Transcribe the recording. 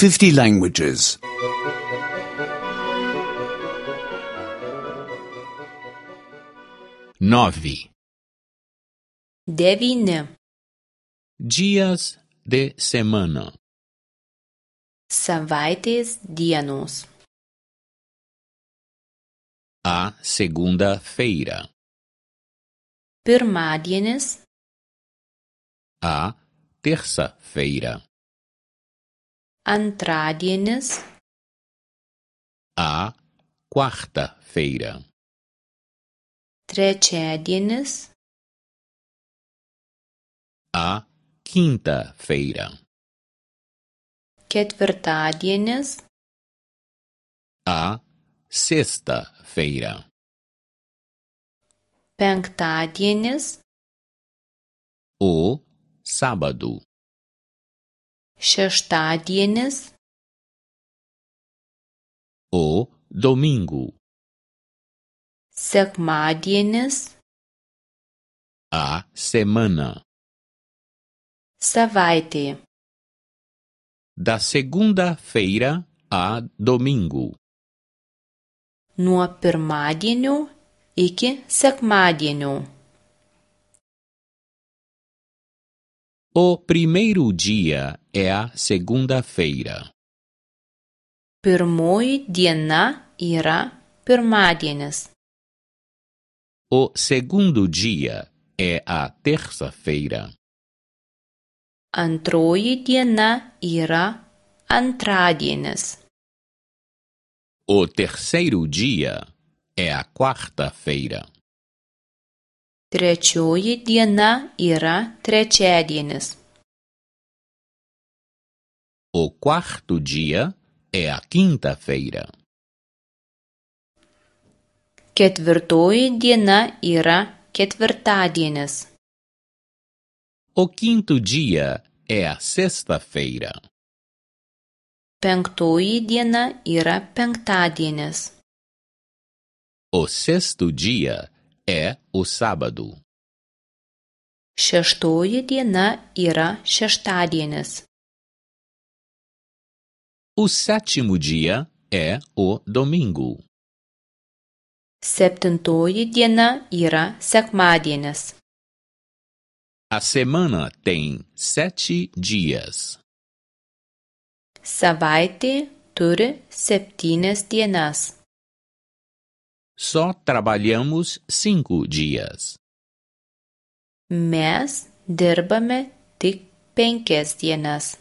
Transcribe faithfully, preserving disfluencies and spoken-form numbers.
fifty languages. Nove. Devyni. Dias de semana. Savaitės dienos. A segunda-feira. Pirmadienis. A terça-feira. Antradienis. A quarta-feira. Trečiadienis. A quinta-feira. Ketvirtadienis. A sexta-feira. Penktadienis. O sábado. Šeštadienis. O domingo. Sekmadienis. A semana. Savaitė. Da segunda-feira a domingo. Nuo pirmadienio iki sekmadienio. O primeiro dia é a segunda-feira. Pirmoji diena yra pirmadienis. O segundo dia é a terça-feira. Antroji diena yra antradienis. O terceiro dia é a quarta-feira. Trečioji diena yra trečiadienis. O quarto dia é a quinta-feira. Ketvirtoji diena yra ketvirtadienis. O quinto dia é a sexta-feira. Penktoji diena yra penktadienis. O sexto dia é o sábado. Šeštoji diena yra šeštadienis. O sétimo dia é o domingo. Septintoji diena yra sekmadienis. A semana tem sete dias. Savaitė turi septynias dienas. Só trabalhamos cinco dias. Mes dirbame tik penkias dienas.